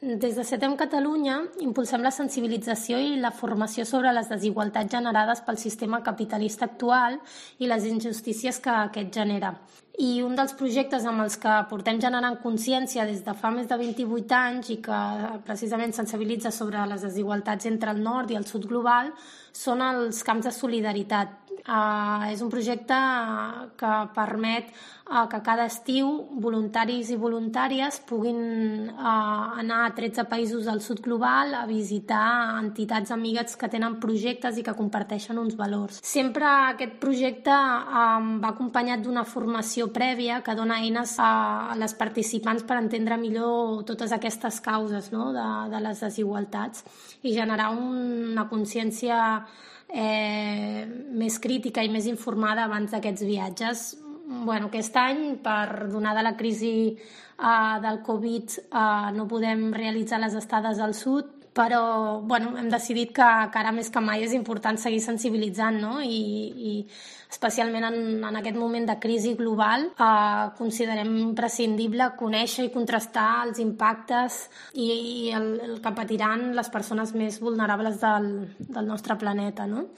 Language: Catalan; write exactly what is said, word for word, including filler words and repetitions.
Des de Setem Catalunya impulsem la sensibilització i la formació sobre les desigualtats generades pel sistema capitalista actual i les injustícies que aquest genera. I un dels projectes amb els que portem generant consciència des de fa més de vint-i-vuit anys i que precisament sensibilitza sobre les desigualtats entre el nord i el sud global són els camps de solidaritat. Uh, és un projecte que permet uh, que cada estiu voluntaris i voluntàries puguin uh, anar a tretze països del sud global a visitar entitats amigues que tenen projectes i que comparteixen uns valors. Sempre aquest projecte um, va acompanyat d'una formació prèvia que dona eines a les participants per entendre millor totes aquestes causes, no?, de, de les desigualtats i generar una consciència Eh, més crítica i més informada abans d'aquests viatges. Bueno, aquest any, per donar de la crisi eh, del Covid, eh, no podem realitzar les estades al sud, però bueno, hem decidit que, que ara més que mai és important seguir sensibilitzant, no? I, i especialment en, en aquest moment de crisi global eh, considerem imprescindible conèixer i contrastar els impactes i, i el, el que patiran les persones més vulnerables del, del nostre planeta, no?